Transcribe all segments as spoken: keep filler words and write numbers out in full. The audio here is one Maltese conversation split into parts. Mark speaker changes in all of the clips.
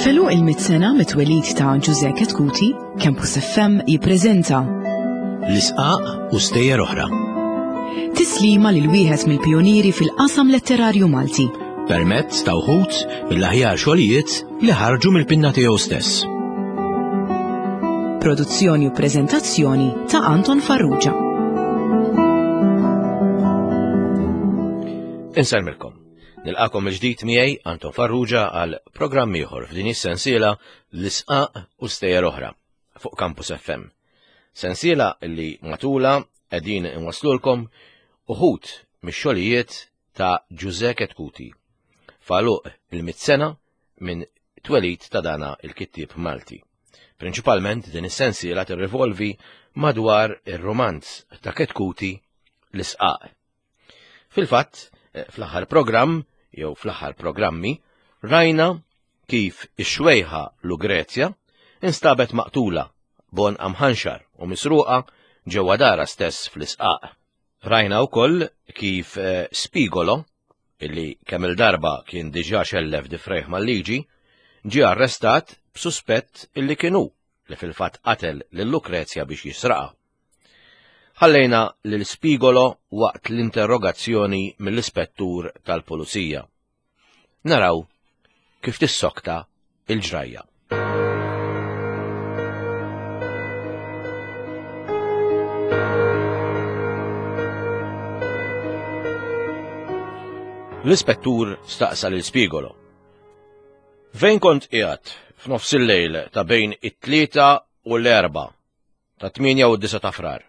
Speaker 1: F'għeluq il-mitt sena mit-twelid ta' Ġużè Chetcuti, Campus F M jippreżenta
Speaker 2: L-Isqaq u Stejjer Oħra.
Speaker 1: Tislima lil wieħed mill-pionieri fil-qasam letterarju Malti.
Speaker 2: Permezz ta' wħud mill-aħjar xogħlijiet li ħarġu mill-pinna tiegħu stess.
Speaker 1: Produzzjoni u preżentazzjoni ta' Anton Farrugia.
Speaker 2: Insellmilkom. Nilqakom il-ġdid miegħi Anton Farrugia għal programm ieħor f'din is-sensiela L-Isqaq u Stejjer Oħra fuq Campus F M. Sensiela li matula qegħdin inwaslulkom uħud mix-xogħlijiet ta' Ġużè Chetcuti. F'għeluq il-mitt sena minn twelid ta' dana il-kittieb Malti. Prinċipalment din is-sensiela tirrivolvi madwar ir-romanz ta' Chetcuti, L-Isqaq. Fil-fatt, eh, fl-aħħar programm, jew fl-aħħar programmi, rajna kif ix-xwejħa Lugrezja instabet maqtula b'għonqha mħanxar u misruqa ġewwa dara stess fl-Isqaq. Rajna wkoll kif eh, Spigolo, illi kemm il-darba kien diġà xellef difrejh mal-liġi, ġie arrestat b'suspett illi kienu li fil-fatt qatel lil Lukrezja biex jisraqa. Ħallejna lil Spigolo waqt l-interrogazzjoni mill-ispettur tal-pulizija. Naraw kif tissokta il-ġrajja. L-ispettur staqsa lil Spigolo: "Fejn kont qiegħed f'nofs il-lejl ta' bejn it-tlieta u l-erba' ta' tmienja u disa ta' Frar?"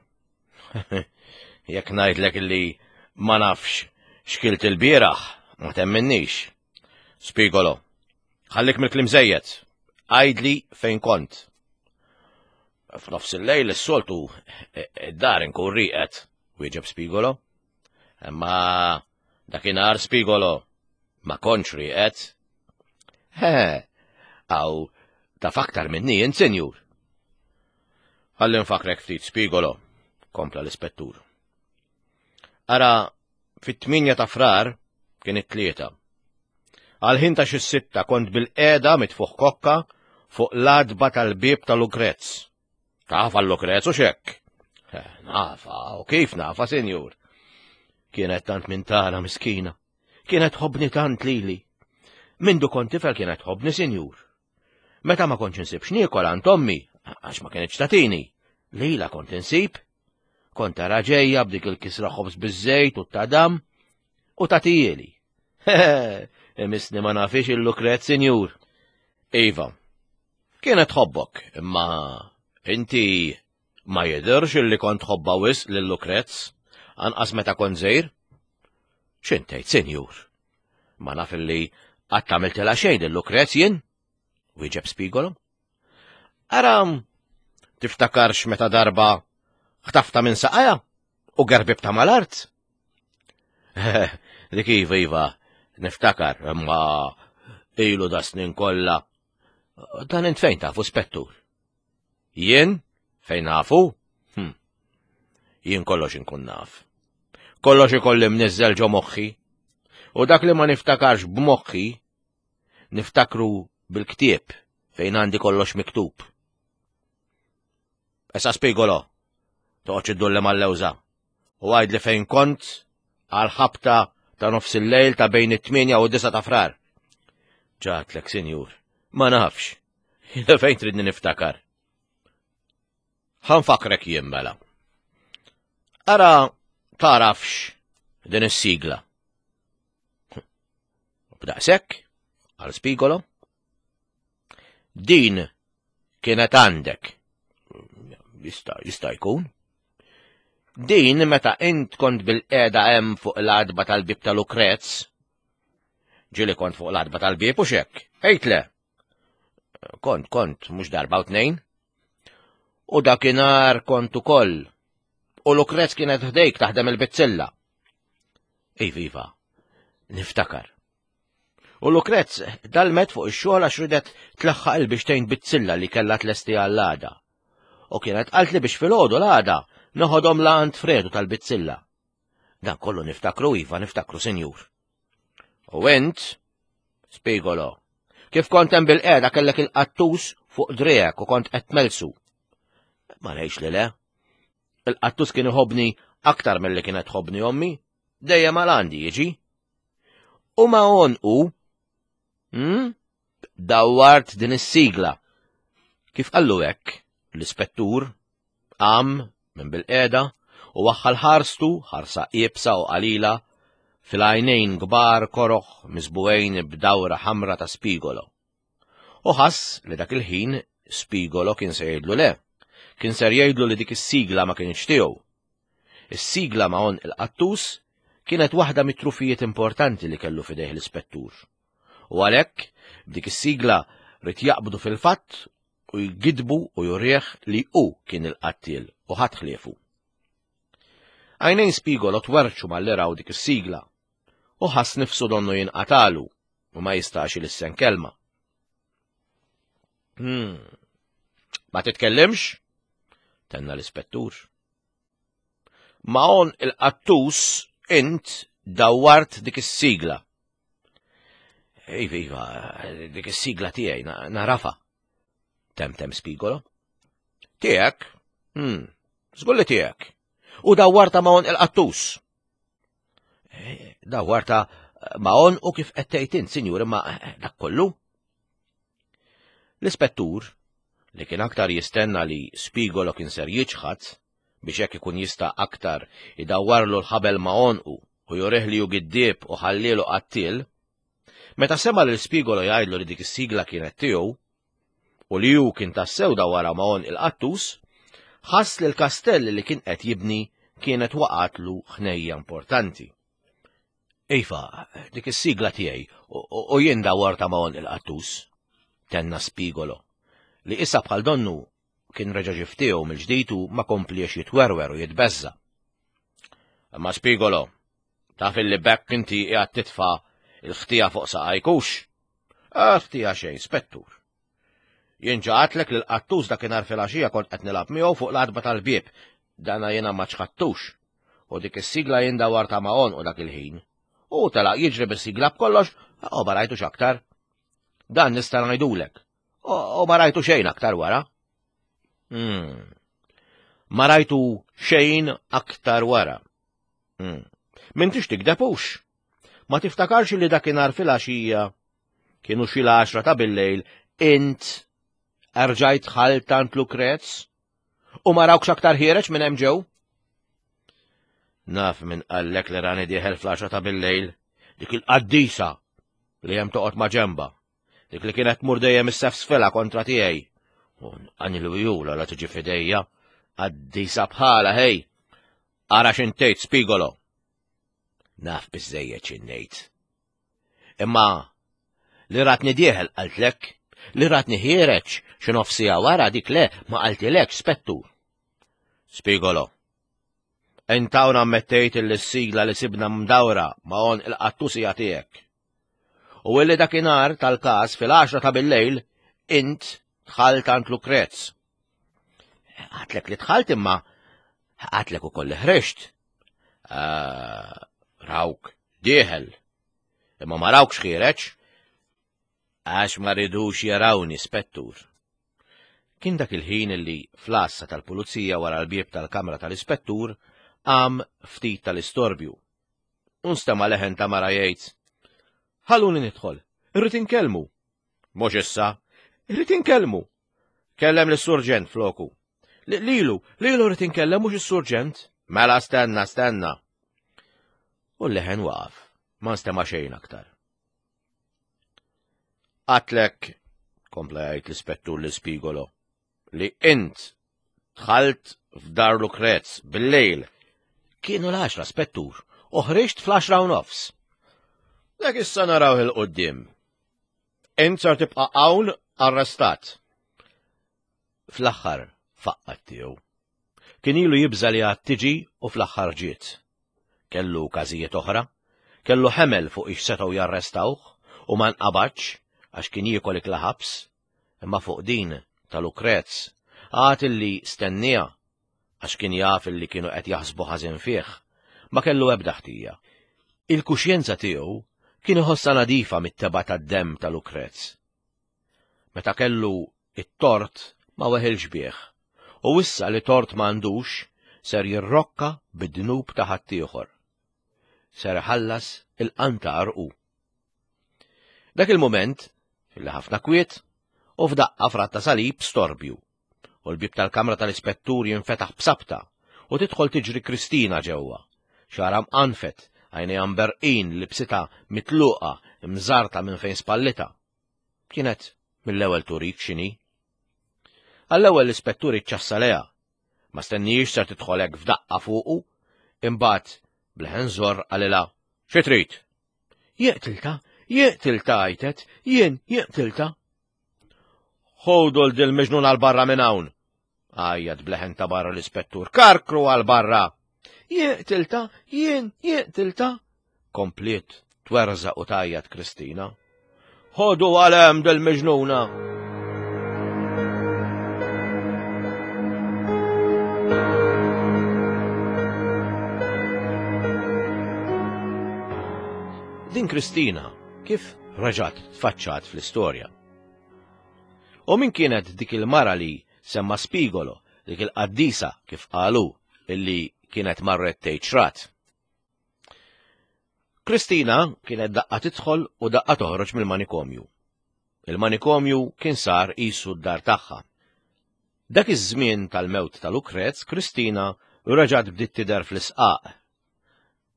Speaker 2: "Jekk ngħidlek li ma nafx x'kilt il-bieraħ, ma temminnix." "Spigolo, ħallik mill-kliem żejjed. Għidli fejn kont." "F'nofs il-lejl is-soltu id-dar inkun rieqed," wieġeb Spigolo. "Imma dakinhar, Spigolo, ma kontx rieqed." "He, għaw taf aktar minni int, sinjur." "Ħalli nfakrek ftit, Spigolo," kompla l-ispettur. "Ara, fit-tmienja ta' Frar kien it-tlieta. Għal-ħin ta' xi sitta kont bilqiegħda mitfuħ kokka fuq l-għatba tal-bieb ta' Lukrez. Tafha Lukrez, hux hekk?" "Nafa, u kif nafa, sinjur. Kienet tant minn tagħna miskina. Kienet tħobbni tant lili. Mindu kont tifel kienet tħobbni, sinjur. Meta ma kontx insib x'niekol għand ommi, għax ma kienx tatini, lila kont insib. Kont tara ġejja b'dik il-kisra ħobż biż-żejt u tadam u tagħtihieli. Imissni ma nafhiex il-Lukrez, sinjur." "Iva, kienet tħobbok, imma inti ma jidirx illi kont tħobbha wisq lil Lukrez, anqas meta kont żgħir." "X'int tgħid, sinjur? Ma naf illi qatt għamiltilha xejn lil Lukrez jien," wieġeb Spigolo. "Ara, tiftakarx meta darba ħtaftha minn saqajha u gerbibtha mal-art?" "Dik iva, iva, niftakar, imma ilu da snin kollha. Dan int fejn tafu, spettur?" "Jien? Fejn nafu? Hm. Jien kollox inkun naf. Kollox ikolli mniżżel ġo moħħi. U dak li ma niftakarx b'moħħi, niftakru bil-ktieb fejn għandi kollox miktub. Issa, Spigolo, toqgħodx iddulli mal-lewża. U għidli fejn kont għal ħabta ta' nofs il-lejl ta' bejn it-tmienja u disa ta' Frar." "Għedtlek, sinjur, ma nafx. Fejn tridni niftakar?" "Ħa nfakkrek jien mela. Ara tagħrafx din is-sigla." "B'daqshekk," qal Spigolo. "Din kienet għandek." "Jista' jista' jkun." "Din meta int kont bilqiegħda hemm fuq l-għatba tal-bieb ta' Lukrez. Ġieli kont fuq l-għatba tal-bieb, hux hekk? Għid le." "Kont, kont, mhux darba u tnejn." "U dakinhar kont ukoll. U Lukrez kienet ħdejk taħdem il-bizzilla." "Iva, iva, niftakar." "U Lukrez dalmet fuq ix-xogħol għax ridet tlaħħaq il-bixtejn bizzilla li kellha tlesti għall-għada. U kienet qaltli biex filgħodu l-għada noħodhom la għand Fredu tal-bizzilla. Dan kollu niftakru, iva, niftakru, sinjur." "U int, Spigolo, Kif kont hemm bil-qiegħda kellek il-qattus fuq driegħek u kont qed tmelsu. Ma ngħidx li le. Il-qattus kien iħobni aktar milli kienet tħobni ommi, dejjem għal għandi jiġi. U ma għonqu, hmm? Dawwart din is-sigla. Kif qallu hekk, l-ispettur qam minn bil-qiegħda u waħħal ħarstu ħarsa iebsa u qalila fil-għajnejn kbar koroħ miżbugħin b'dawra ħamra ta' Spigolo. U ħass li dak il-ħin Spigolo kien se jgħidlu le, kien ser jgħidlu li dik is-sigla ma kienx tiegħu. Is-sigla ma' għonq il-qattus kienet waħda mit-trufijiet importanti li kellu f'idejh l-ispettur. U għalhekk b'dik is-sigla ried jaqbdu fil-fatt u jgidbu u jurih li hu kien il-qattiel u ħadd ħliefu. Għajnejn Spigolo twerċu malli raw dik is-sigla u ħass nifsu donnu jinqatalu u ma jistax ilissen kelma. Hmm. Ma titkellimx? Tenna l-ispettur. Ma' għonq il-qattus int dawwart dik is-sigla. Iva, iva, dik is-sigla tiegħi nagħrafha. Temtem Spigolo. Tiegħek? Hmm, żgur li tiegħek. U dawwartha ma' għonq il-qattus. Eh, dawwartha ma' għonqu kif qed tgħid int, sinjur, imma eh, dak kollu. L-ispettur, li kien aktar jistenna li Spigolo kien ser jiċħad biex hekk ikun jista' aktar idawwarlu l-ħabel ma' għonqu u jurih li hu giddieb u ħallielu qattiel, meta sema' lil Spigolo jgħidlu li dik is-sigla kienet tiegħu u li hu kien tassew dawwarha ma' għonq il-qattus, ħass li l-kastell li kien qed jibni kienet waqatlu ħnejja importanti. Iva, dik is-sigla tiegħi u jien dawwartha ma' għonq il-qattus, tenna Spigolo, li issa bħal donnu kien reġa' ġie f'tiegħu mill-ġdid u ma kompliex jitwerwer u jitbeżża. Imma Spigolo, taf illi b'hekk inti qiegħed titfa' il-ħtija fuq saqajk hux? Ħtija xejn, spettur. Jien ġa għedtlek li l-qattus dakinhar filgħaxija kont qed nilgħab miegħu fuq l-għatba tal-bieb, dana jiena ma ċħadtux, u dik is-sigla jien dawwartha ma' għonqu dak il-ħin. U telaq jiġri bis-sigla b'kollox, u ma rajtux aktar. Dan nista' ngħidulek. U ma rajtu xejn aktar wara. Hmm. Ma rajtu xejn aktar wara. Hmm. M'intix tigdeb hux. Ma tiftakarx li dakinhar filgħaxija kienu xi l-għaxra ta' billejl int erġajt dħalt għand Lukrez u ma rawkx aktar ħiereġ minn hemm ġew? Naf min qallek li rani dieħel fl-għaxra ta' billejl, dik il-qaddisa li hemm toqgħod ma' ġemba, dik li kienet tmur dejjem issefsfilha kontra tiegħi. U nqanil jula la tiġi f'idejja, qaddisa bħala ħej. Ara x'intejt Spigolo. Naf biżejjed x'ingħid. Imma li ratni dieħel qaltlek, li ratni ħiereġ xi nofs siegħa wara dik le ma qaltilek spettur. Spigolo. Int hawn ammettejt li s-sigla li sibna mdawra ma' għonq il-qattus hija tiegħek. U illi dakinhar tal-każ fil-għaxra ta' billejl int dħalt għand Lukrez. Għedtlek li dħalt imma għedtlek ukoll li ħriġt. Ah, rawk, dieħel. Imma ma rawkx ħiereġ. Għax ma ridux jarawni, spettur. Kien dak il-ħin illi fl-għassa tal-pulizija wara l-bieb tal-kamra tal-ispettur qam ftit tal-istorbju. U nstema' leħen ta' mara jgħid. Ħalluni nidħol, irrid inkellmu. Mhux issa, irrid inkellmu. Kellem lis-surġent floku. Lilu, lilu rrid inkellem mhux is-surġent. Mela stenna, stenna. U l-leħen waqaf, ma nstema' xejn aktar. Għedtlek, kompla jgħid l-ispettur lil Spigolo, li int dħalt f'dar Lukrez bil-lejl. Kienu l-għaxra spettur, u ħriġt fl-għaxra u nofs. Dak issa naraw 'il quddiem. Int sar tibqa' hawn arrestat. Fl-aħħar faqqat tiegħu. Kien ilu jibża li għad tiġi u fl-aħħar ġiet. Kellu każijiet oħra, kellu ħemel fuq ix setgħu jarrestawh u ma nqabadx għax kien jiekol ikla ħabs, imma fuq din ta' Lukrez għad illi stenniha għax kien jaf illi kienu qed jaħsbu ħażin fih, ma kellu ebda ħtija. Il-kuxjenza tiegħu kien iħossha nadifa mit-tebgħa tad-demm ta' Lukrez. Meta kellu it-tort ma weħilx bih, u issa li tort m'għandux ser jirrokka bid-dnub ta' ħaddieħor. Ser iħallas il-qantar u. Dak il-mument, fil ħafna kwiet, u f'daqqa fratta salib storbju, u l-bib tal-kamra tal-ispettur jinfetaħ b'sabta, u tidħol tiġri Kristina ġewwa. Xagħarha mqanfet, għajnejha mberqin, libsitha mitluqa, mżarta minn fejn spallita. Kienet mill-ewwel turik x'inhi. Għall-ewwel l-ispettur iċċassa lejha. Ma stennihiex ser tidħol hekk f'daqqa fuqu, imbagħad b'leħen żorr qalilha, "Xi trid?" "Jeqtilta, jeqtilta," għajtet, "jien jeqtilta." "Ħodu 'l dil-miġnun għal barra minn hawn," għajjat b'leħen ta' barra l-ispettur, "karkru għal barra." "Jeqtilta, jien jeqtilta," kompliet twerżaq u tgħajjat Kristina. "Ħodu għal hemm dil-miġnuna." Din Kristina kif reġgħet tfaċċat fl-istorja? U min kienet dik il-mara li semma Spigolo, dik il-qaddisa kif qalu illi kienet marret tgħid xrat? Kristina kienet daqqa tidħol u daqqa toħroġ mill-manikomju. Il-manikomju kien sar qisu d-dar tagħha. Dak iż-żmien tal-mewt ta' Lukrez, Kristina reġgħet bdiet tidher fl-isqaq.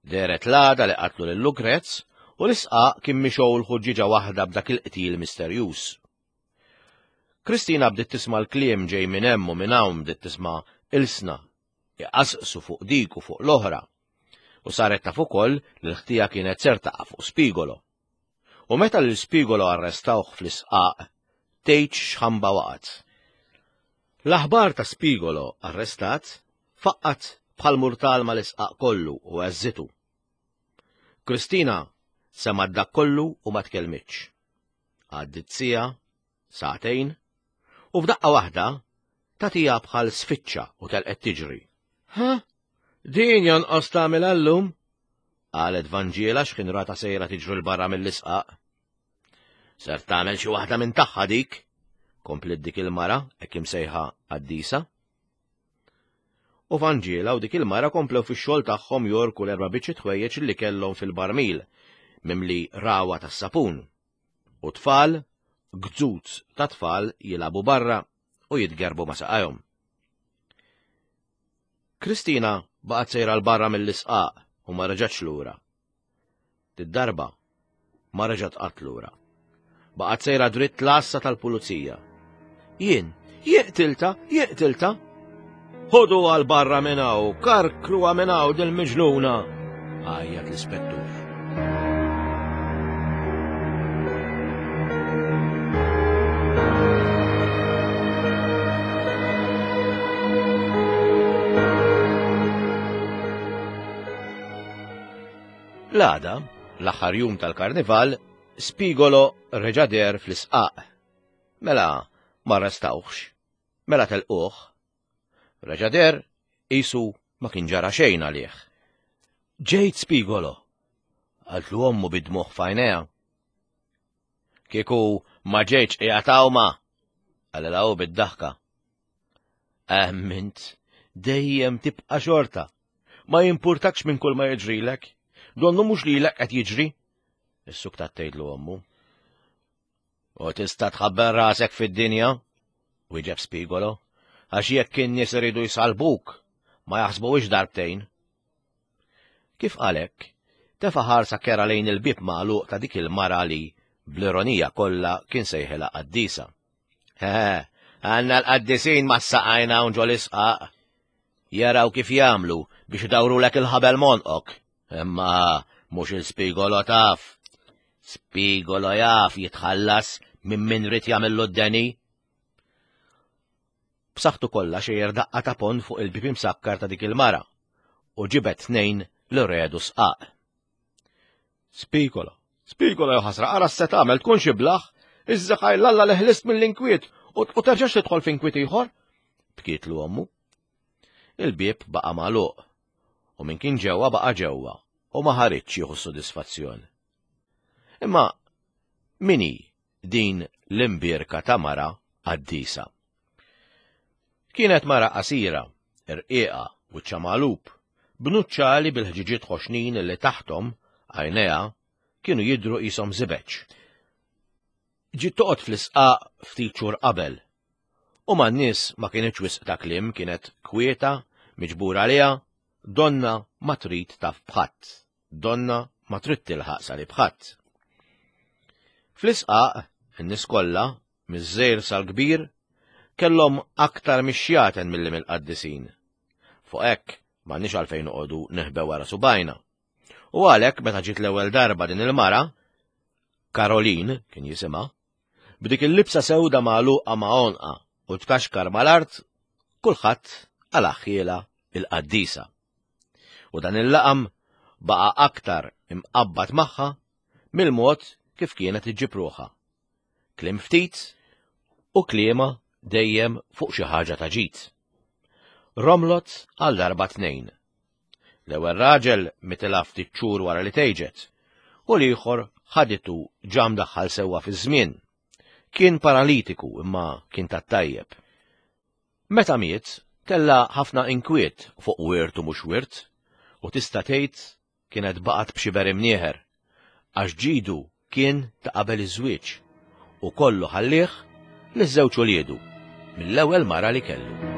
Speaker 2: Dehret l-għada li qatlu lil Lukrez u l-isqaq kien mixgħul ħuġġieġa waħda b'dak il-qtil misterjuż. Kristina bdiet tisma' l-kliem ġej minn hemm u minn hawn, bdiet tisma' ilsna iqasqsu fuq dik u fuq l-oħra, u saret taf ukoll li l-ħtija kienet ser taqa' fuq Spigolo. U meta lil Spigolo arrestawh fl-isqaq, tgħidx x'ħamba waqgħet. L-aħbar ta' Spigolo arrestat faqqat bħal murtal mal-isqaq kollu u għeżżitu. Kristina semgħet dak kollu u ma tkellmitx. Għaddiet siegħa, sagħtejn, u f'daqqa waħda tagħtiha bħal sfiċċa u telqet tiġri. "Ha? Din jonqos tagħmel għallum?" qalet Vanġiela x'ħin rata sejra tiġri 'l barra mill-isqaq. "Ser tagħmel xi waħda minn tagħha dik," kompliet dik il-mara hekk imsejħa qaddisa. U Vanġiela u dik il-mara komplew fix-xogħol tagħhom jorku l-erba' biċċiet ħwejjeġ li kellhom fil-barmil mimli rawa tas-sapun. U tfal, gżuz ta' tfal jilagħbu barra u jitgerbu ma' saqajhom. Kristina baqgħet sejra 'l barra mill-isqaq u ma reġgħetx lura. Did-darba ma reġgħet qatt lura. Baqgħet sejra dritt l-għassa tal-pulizija. "Jien, jeqtilta, jeqtilta. Ħodu għal barra minn hawn, karkru minn hawn dil-miġnuna," għajjat l-ispettur. L-għada, l-aħħar jum tal-karnival, Spigolo reġa' deher fl-isqaq. Mela ma arrestawhx, mela telquh. Reġa' deher qisu ma kien ġara xejn għalih. "Ġejt Spigolo," qaltlu ommu bid-dmugħ f'għajnejha. "Kieku ma ġejtx qiegħed hawn ma," qalilha hu bid-daħka. "Emmint, dejjem tibqa' xorta. Ma jimpurtakx minn kull ma jiġrilek. Donnu mhux lilek qed jiġri," issuktat tgħidlu ommu. "U tista' tħabber rasek fid-dinja," wieġeb Spigolo, "għax jekk in-nies iridu jsalbuk, ma jaħsbuhiex darbtejn." Kif qalek, tefa' ħarsa kera lejn il-bib magħluq ta' dik il-mara li, bl-ironija kollha, kien sejħilha qaddisa. "He, għandna l-qaddisin ma saqajna hawn ġol-isqaq. Jaraw kif jagħmlu biex idawrulek il-ħabel monqok. Imma mhux il-Spigolo taf. Spigolo jaf jitħallas minn min rid jagħmillu d-deni." B'saħħtu kollha xejjer daqqa ta' pon fuq il-bib imsakkar ta' dik il-mara u ġibet tnejn li redu sqaq. "Spigolo, Spigolo jew ħasra, ara se tagħmel tkun xi blaħ, iżżaħaj l-Alla li ħlist mill-inkwiet u terġax tidħol f'inkwiet ieħor," bkietlu ommu. Il-bieb baqa' magħluq u min kien ġewwa baqa' ġewwa u ma ħaritx jieħu sodisfazzjon. Imma min hi din l-imbierka ta' mara qaddisa. Kienet mara qasira, irqiqa, wiċċha magħlub, b'nuċċali bil-ħġiġiet ħoxnin li taħthom għajnejha kienu jidhru qishom żibeġ. Ġiet toqgħod fl-isqaq ftit xhur qabel, u man-nies ma kienx wisq ta' kliem, kienet kwieta, miġbura għaliha, donna ma trid taf b'ħadd, donna ma trid tilħaq sali b'ħadd. Fl-isqaq, in-nies kollha, miż-żgħir sal-kbir, kellhom aktar mix-xjaten milli mill-qaddisin. Fuq hekk m'għandniex għalfejn noqogħdu neħbew wara subajna. U għalhekk meta ġiet l-ewwel darba din il-mara, Caroline kien jisimha, b'dik il-libsa sewda magħluqa ma' għonqa u tkaxkar mal-art, kulħadd għalaħħiela il-qaddisa. U dan il-laqam baqa' aktar imqabbad magħha mill-mod kif kienet iġġib ruħha. Kliem ftit u kliema dejjem fuq xi ħaġa ta' ġid. Romlot għal darba tnejn. L-ewwel raġel mitilha ftit xhur wara li tgħiġet, u l-ieħor ħaditu ġa mdaħħal sewwa fiż-żmien. Kien paralitiku imma kien tat-tajjeb. Meta miet, kellha ħafna inkwiet fuq wirt u mhux wirt, u tista' tgħid kienet baqgħet b'xiber imnieħer, għax ġidu kien ta' qabel iż-żwieġ u kollu ħallih liż-żewġ uliedu mill-ewwel mara li kellu.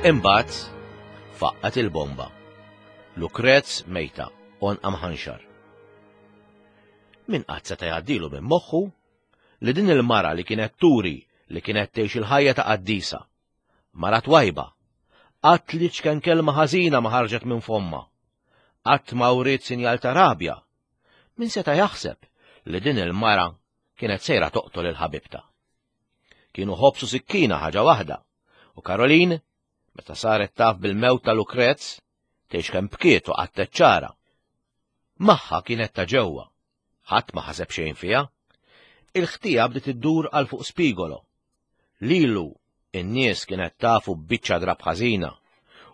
Speaker 2: Imbagħad faqqat il-bomba. Lukrez mejta, għonqa mħanxar. Min qatt seta' jgħaddilu minn moħħu li din il-mara li kienet turi li kienet tgħix il-ħajja ta' qaddisa, mara twajba, qatt li ċken kelma ħażina ma ħarġet minn fomma, qatt ma wriet sinjal ta' rabja. Min seta' jaħseb li din il-mara kienet sejra toqtol il-ħabibta. Kienu ħobsu sikkina ħaġa waħda, u Caroline, meta saret taf bil-mewt ta' Lukrez, tgħix kemm bkiet u qattet ċara. Magħha kienet ta' ġewwa, ħadd ma ħaseb xejn fiha. Il-ħtija bdiet iddur għal fuq Spigolo. Lilu in-nies kienet tafu b'biċċa drab ħażina,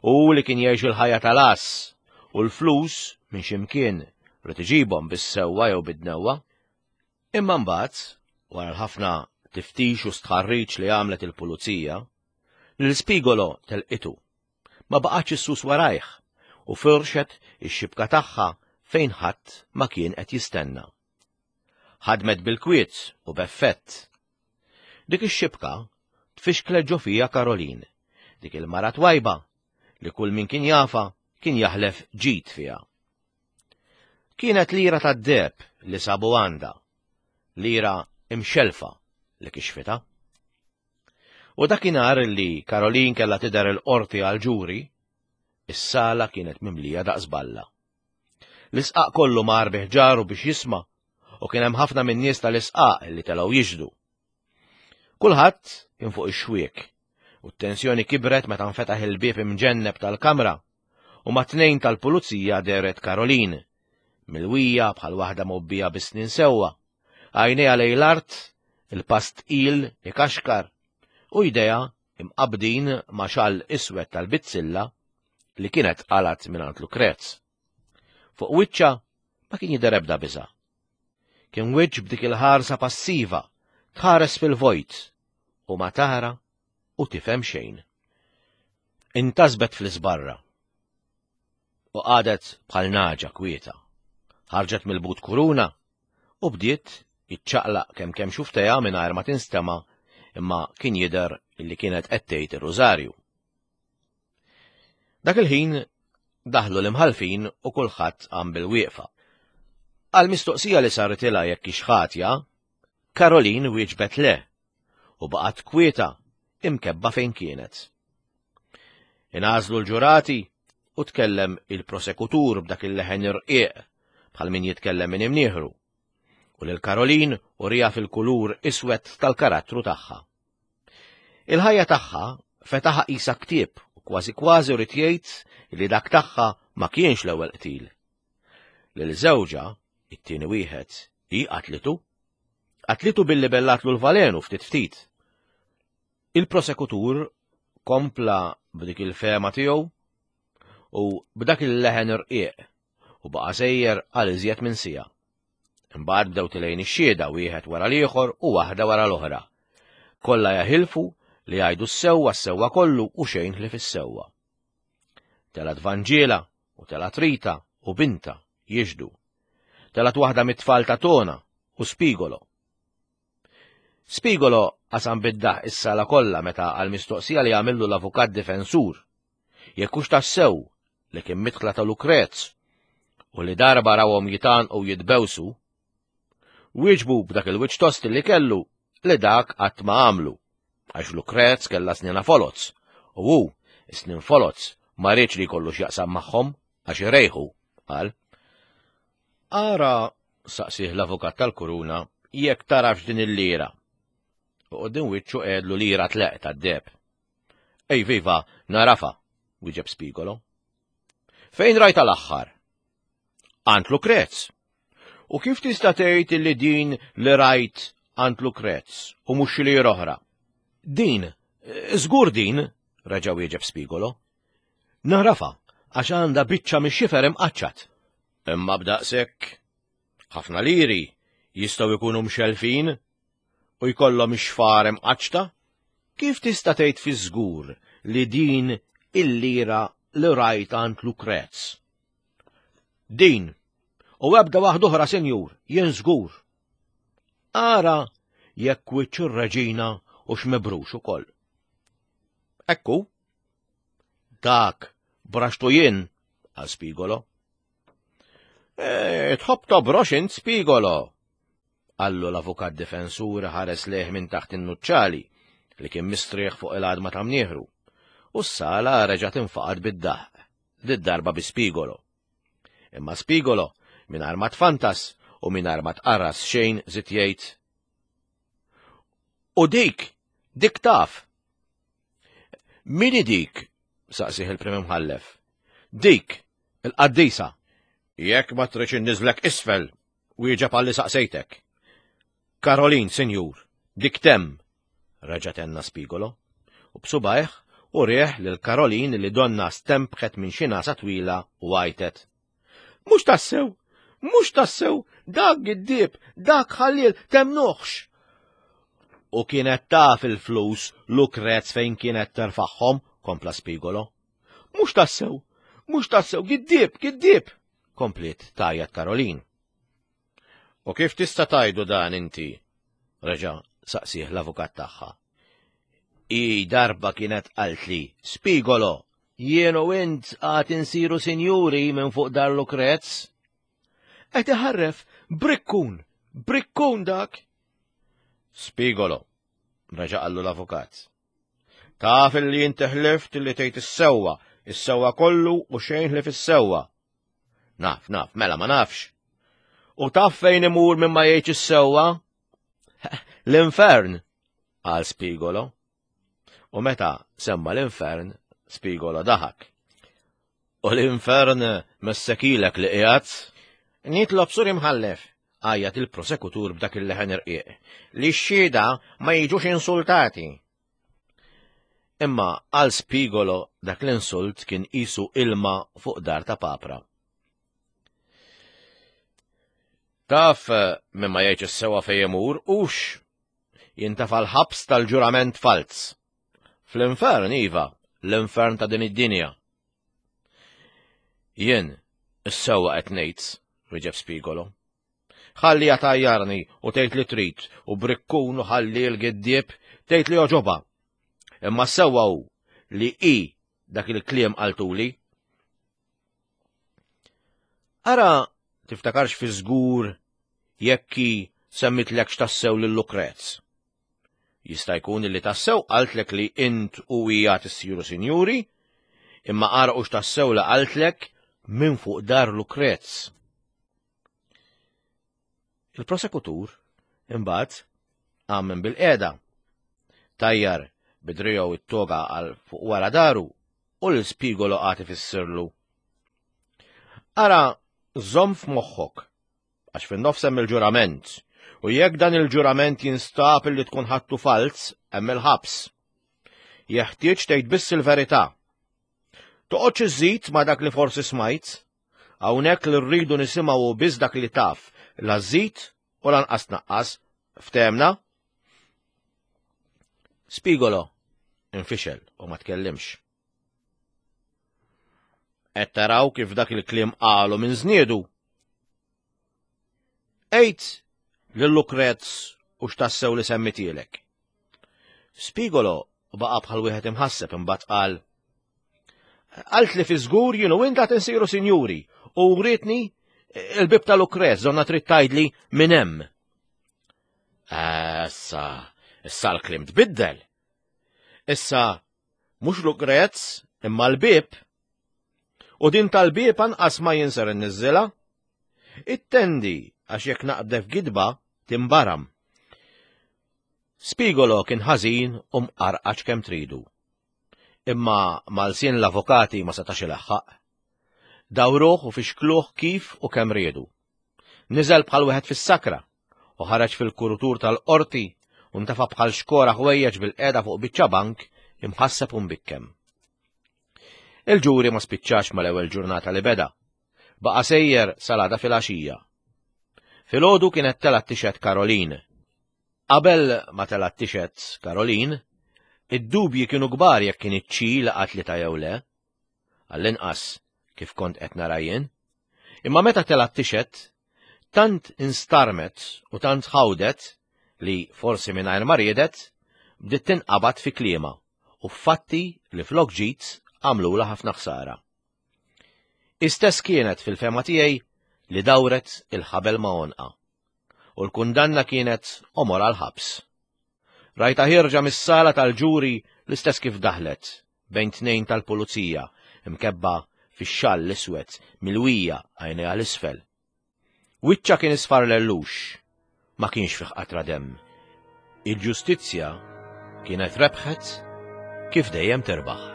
Speaker 2: u li kien jgħix il-ħajja tal-ass, u l-flus minn x'imkien rid iġibhom bis-sewwa jew bid-dnewwa. Imma mbagħad, wara l-ħafna tiftix u stħarriġ li għamlet il-pulizija, lil Spigolo telqitu. Ma baqgħetx issus warajh u firxet ix-xibka tagħha fejn ħadd ma kien qed jistenna. Ħadmet bil-kwiet u b'effett. Dik ix-xibka tfixklet ġo fija Caroline, dik il-mara twajba li kull min kien jafa kien jaħlef ġid fiha. Kienet lira tad-deheb li sabu għandha, lira imxelfa li kixfitha. U dakinhar li Caroline kellha tidher il-qorti għal ġuri, is-sala kienet mimlija daqs balla. L-isqaq kollu mar bi ħġaru biex jisma', u kien hemm ħafna min-nies tal-isqaq li telgħu jixhdu. Kulħadd kien fuq ix-xwiek, u t-tensjoni kibret meta nfetaħ il-bieb imġenneb tal-kamra, u ma' tnejn tal-pulizija dehret Caroline, milwija bħal waħda mobbija bis-snin sewwa, għajnejha lejn l-art, il-pass tqil ikaxkar, u jdejha imqabdin ma' xall iswed tal-bizzilla li kienet qalat mingħand Lukrez. Fuq wiċċha ma kien jidher ebda biża'. Kien wiċċ b'dik il-ħarsa passiva, tħares fil-vojt u ma tara u tifhem xejn. Intasbet fl-isbarra u qagħdet bħal naġa kwieta. Ħarġet mill-but kuruna u bdiet iċċaqlaq kemm kemm xuftejha mingħajr ma tinstema', imma kien jidher li kienet qed tgħid ir-rużarju. Dak il-ħin daħlu l-imħalfin u kulħadd qam bil-wieqfa. Għal mistoqsija li saritilha jekk hix ħatja, Caroline wieġbet le u baqgħet kwieta imkebba fejn kienet. Ingħażlu l-ġurati u tkellem il-prosekutur b'dak il-leħen irqiq bħal min jitkellem minn imnieħru, u lil Caroline urija fil-kulur iswed tal-karattru tagħha. Il-ħajja tagħha fetaħa qisha ktieb u kważi kważi rid jgħid li dak tagħha ma kienx l-ewwel qtil. Lil żewġha, it-tieni wieħed, hi qatlitu. Qatlitu billi bellatlu l-valenu ftit ftit. Il-prosekutur kompla b'dik il-fehma tiegħu u b'dak il-leħen irqiq u baqa' sejjer għal iżjed minn siegħa. Imbagħad bdew tilgħin ix-xhieda wieħed wara l-ieħor u waħda wara l-oħra. Kollha jaħilfu li jgħidu s-sewwa s-sewwa kollu u xejn ħlief is-sewwa. Telgħet Vanġiela u telgħet Rita u binta jixhdu. Telgħet waħda mit-tfal ta' Tona u Spigolo. Spigolo qasam bid-daħk is-sala kollha meta għal-mistoqsija li għamillu l-avukat difensur. Jekk hux tassew li kien midħla ta' Lukrez u li darba rawhom jitgħannqu jitbewsu, wieġbu b'dak il-wiċċ tost li kellu li dak qatt ma għamlu, għax Lukrez kellha snienha foloz, u hu snin foloz ma riedx li jkollu x'jaqsam magħhom għax irejħu, qal. Ara, saqsih l-avukat tal-kuruna, jekk tarafx din il-lira. U quddiem wiċċu qiegħedlu lira tleqq tad-deheb. Ej viva, nagħrafha, wieġeb Spigolo. Fejn rajta l-aħħar? Għand Lukrez. U kif tista' tgħid li din li rajt għand Lukrez u mhux xi lira oħra? Din, żgur din, reġa' wieġeb Spigolo. Nagħrafha għax għandha biċċa mix-xifer imqaċċat. Imma b'daqshekk ħafna liri jistgħu jkunu mxelfin u jkollhom ix-xfar imqaċċta? Kif tista' tgħid fi żgur li din il-lira li rajt għand Lukrez? Din, u ebda waħda oħra, sinjur, jien żgur. Ara jekk wiċċ ir-reġina hux mibrux ukoll. Ekku, dak braxtu jien, qal Spigolo. E, tħobb tobrox int Spigolo, qallu l-avukat difensur ħares lejh minn taħt in-nuċċali li kien mistrieħ fuq il-għadma ta' mnieħru, u s-sala reġgħet infaqgħet bid-daħk, did-darba bi Spigolo. Imma Spigolo, mingħajr ma tfantas u mingħajr ma tqarras xejn żied jgħid. U dik, dik taf. Min dik? Saqsih il-prim imħallef. Dik, il-qaddisa. Jekk ma tridx inniżżlek isfel, wieġeb għalli saqsejtek. Karolin, sinjur, dik t'hemm, reġa' tenna Spigolo, u b'subgħajh urieh lil Karolin li donna stempħet minn xi nagħsa twila u għajtet. Mhux tassew, mhux tassew, dak giddieb, dak ħalliel, temmnuhx. U kienet taf il-flus Lukrez fejn kienet terfagħhom, kompla Spigolo. Mhux tassew, mhux tassew, giddieb, giddieb, kompliet tgħajjat Karolin. U kif tista' tgħidu dan inti? Reġa' saqsih l-avukat tagħha. I darba kienet qaltli, Spigolo, jien u int għad insiru sinjuri minn fuq dar Lukrez. Qed iħarref, brikkun, brikkun dak. Spigolo, reġa' qallu l-avukat. Taf li inti ħlift li tgħid is-sewwa, is-sewwa kollu u xejn ħlief is-sewwa. Naf, naf, mela ma nafx. U taf fejn imur minn ma jgħidx is-sewwa? L-infern, qal Spigolo. U meta semma l-infern, Spigolo daħak. U l-infern messekilek li qiegħed? Nitlob sur imħallef, għajjat il-prosekutur b'dak il-leħen irqiq, li x-xhieda ma jiġux insultati. Imma għal Spigolo dak l-insult kien qisu ilma fuq dar ta' papra. Taf minn ma jgħidx is-sewwa fejn imur hux jintefa' l-ħabs tal-ġurament falz. Fl-infern iva, l-infern ta' din id-dinja. Jien is-sewwa qed ngħid, wieġeb Spigolo. Ħalli tgħajjarni u tgħid li trid u brikkun u ħalli l-giddieb tgħid li jogħġobha. Imma s-sewwa hu li i dak il-kliem qaltuli. Ara tiftakarx fi żgur jekk hi semmitlekx tassew lil Lukrez. Jista' jkun li tassew qaltlek li int u hija tissiru sinjuri, imma ara hux tassew li qaltlek minn fuq dar Lukrez. Il-prosekutur imbagħad qam minn bil-qiegħda. Tajjar bidriegħu it-toga għal fuq wara daru u l-Spigolo qagħad ifissirlu. Ara żomm f'moħħok, għax fin-nofs hemm il-ġurament, u jekk dan il-ġurament jinstab li tkun ħadtu falz, hemm il-ħabs. Jeħtieġ tgħid biss il-verità. Toqgħodx iżżid ma' dak li forsi smajt. Hawnhekk li rridu nisimgħu biss dak li taf, la żżid u lanqas tnaqqas. Ftehemna? Spigolo infixel u ma tkellimx. Qed taraw kif dak il-kliem qalu minn żniedu. Għid lil Lukrez u x'tassew li semmitielek. Spigolo baqa' bħal wieħed imħasseb imbagħad qal: Qalt li fi żgur jien u int għad insiru sinjuri u wrietni il-bieb ta' Lukrez donnha trid tgħidli minn hemm. Issa, issa l-kliem tbiddel. Issa mhux Lukrez imma l-bieb. U din tal-bieb anqas ma jien ser inniżżilha. Ittendi għax jekk naqbdek f'gidba timbaram. Spigolo kien ħażin u mqarqaċ kemm tridu. Imma mal-sien l-avukati ma setax ilaħħaq. Dawruh u fixkluh kif u kemm riedu. Niżel bħal wieħed fis-sakra u ħareġ fil-kurutur tal-qorti u ntafa' bħal xkora ħwejjeġ bil-qiegħda fuq biċċa bank imħasseb u mbikkem. Il-ġuri ma spiċċax mal-ewwel ġurnata li beda. Baqa' sejjer sal-għada filgħaxija. Filgħodu kienet telgħet tixhed Caroline. Qabel ma telgħet tixhed Caroline, id-dubji kienu kbar jekk kinitx hi li qatlitha jew le. Għall-inqas kif kont qed nara jien. Imma meta telgħet tixhed, tant instarmet u tant ħawdet li forsi mingħajr ma riedet, bdiet tinqabad fi kliemha u fatti li flok ġid għamlulha ħafna ħsara. Istess kienet fil-fehma tiegħi li dawret il-ħabel ma' għonqha. U l-kundanna kienet għomor għal-ħabs. Rajtha ħierġa mis-sala tal-ġuri l-istess kif daħlet bejn tnejn tal-pulizija imkebba fix-xall l-iswed milwija għajnejha l-isfel. Wiċċha kien isfar lellux, ma kienx fih qatra demm. Il-ġustizzja kienet rebħet kif dejjem terbaħ.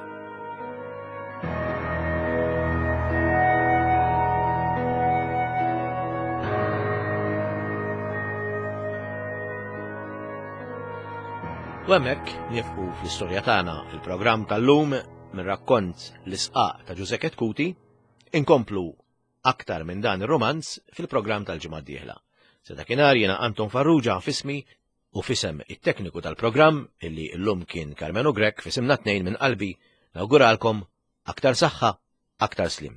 Speaker 2: U hemmhekk nifqu fl-istorja tagħna il-programm tal-lum minn rakkont L-Isqaq ta' Ġużè Chetcuti, inkomplu aktar minn dan ir-romanz fil-programm tal-ġimgħa d-dieħla. Sa dakinhar jiena Anton Farrugia f'ismi u f'isem it-tekniku tal-programm illi llum kien Carmenu Grech f'isimna tnejn minn qalbi nawguralkom aktar saħħa, aktar slim.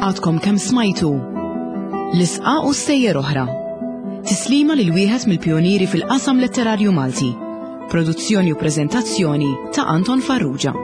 Speaker 1: Għadkom kemm smajtu L-Isqaq u Stejjer Oħra. Tislima lil wieħed mill-pionieri fil-qasam letterarju Malti. Produzzjoni u preżentazzjoni ta' Anton Farrugia.